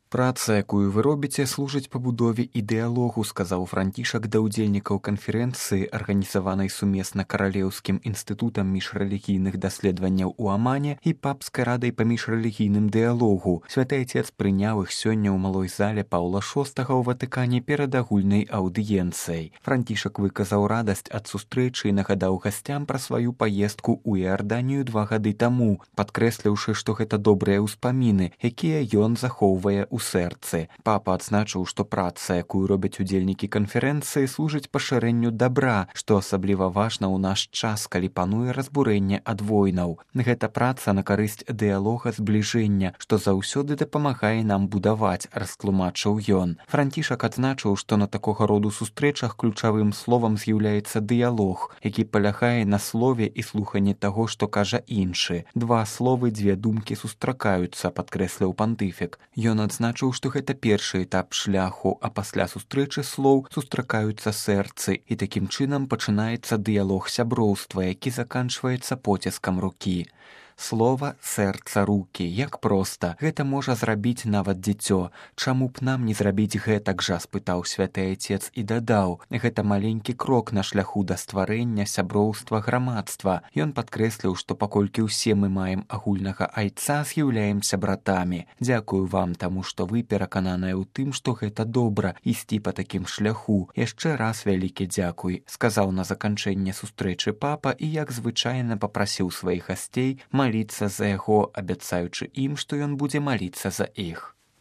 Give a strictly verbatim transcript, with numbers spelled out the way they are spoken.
Праца, якую вы робіце, служыць пабудове і дыялогу, сказаў Францішак да ўдзельнікаў канферэнцыі, арганізаванай сумесна Каралеўскім інстытутам міжрэлігійных даследаванняў у Амане і папскай радай па міжрэлігійным дыялогу. Святы Айцец прыняў іх сёння ў малой зале Паўла шостага ў Ватыкане перад агульнай аўдыенцыяй. Францішак выказаў радасць ад сустрэчы і нагадаў гасцям пра сваю паездку ў Іарданію два гады таму, падкрэсліўшы, што гэта добрыя ўспаміны, якія ён захоўвае ў сэрцы. Папа адзначыў, што праца, якую робяць удзельнікі канферэнцыі, служыць пашырэнню дабра, што асабліва важна ў наш час, калі пануе разбурэнне ад войнаў. Гэта праца на карысць дыялога збліжэння, што заўсёды дапамагае нам будаваць, растлумачыў ён. Францішак адзначыў, што на такога роду сустрэчах ключавым словам з'яўляецца дыялог, які палягае на слове і слуханні таго, што кажа іншы. Два словы, дзве думкі сустракаюцца, падкрэсліў пантыфік. Ён адзначыў, што гэта першы этап шляху, а пасля сустрэчы слоў сустракаюцца сэрцы, і такім чынам пачынаецца дыялог сяброўства, які заканчваецца поціскам рукі. Слова, сэрца, рукі. Як проста. Гэта можа зрабіць нават дзіцё. Чаму б нам не зрабіць гэтак жа, спытаў святы Айцец і дадаў. Гэта маленькі крок на шляху да стварэння сяброўства грамадства. Ён падкрэсліў, што паколькі ўсе мы маем агульнага Айца, з'яўляемся братамі. Дзякую вам таму, што вы перакананыя ў тым, што гэта добра ісці па такім шляху. Яшчэ раз вялікі дзякуй, сказаў на заканчэнне сустрэчы папа і, як звычайна, папрасіў сваіх гасцей маліцца за яго, абяцаючы ім, што ён будзе маліцца за іх.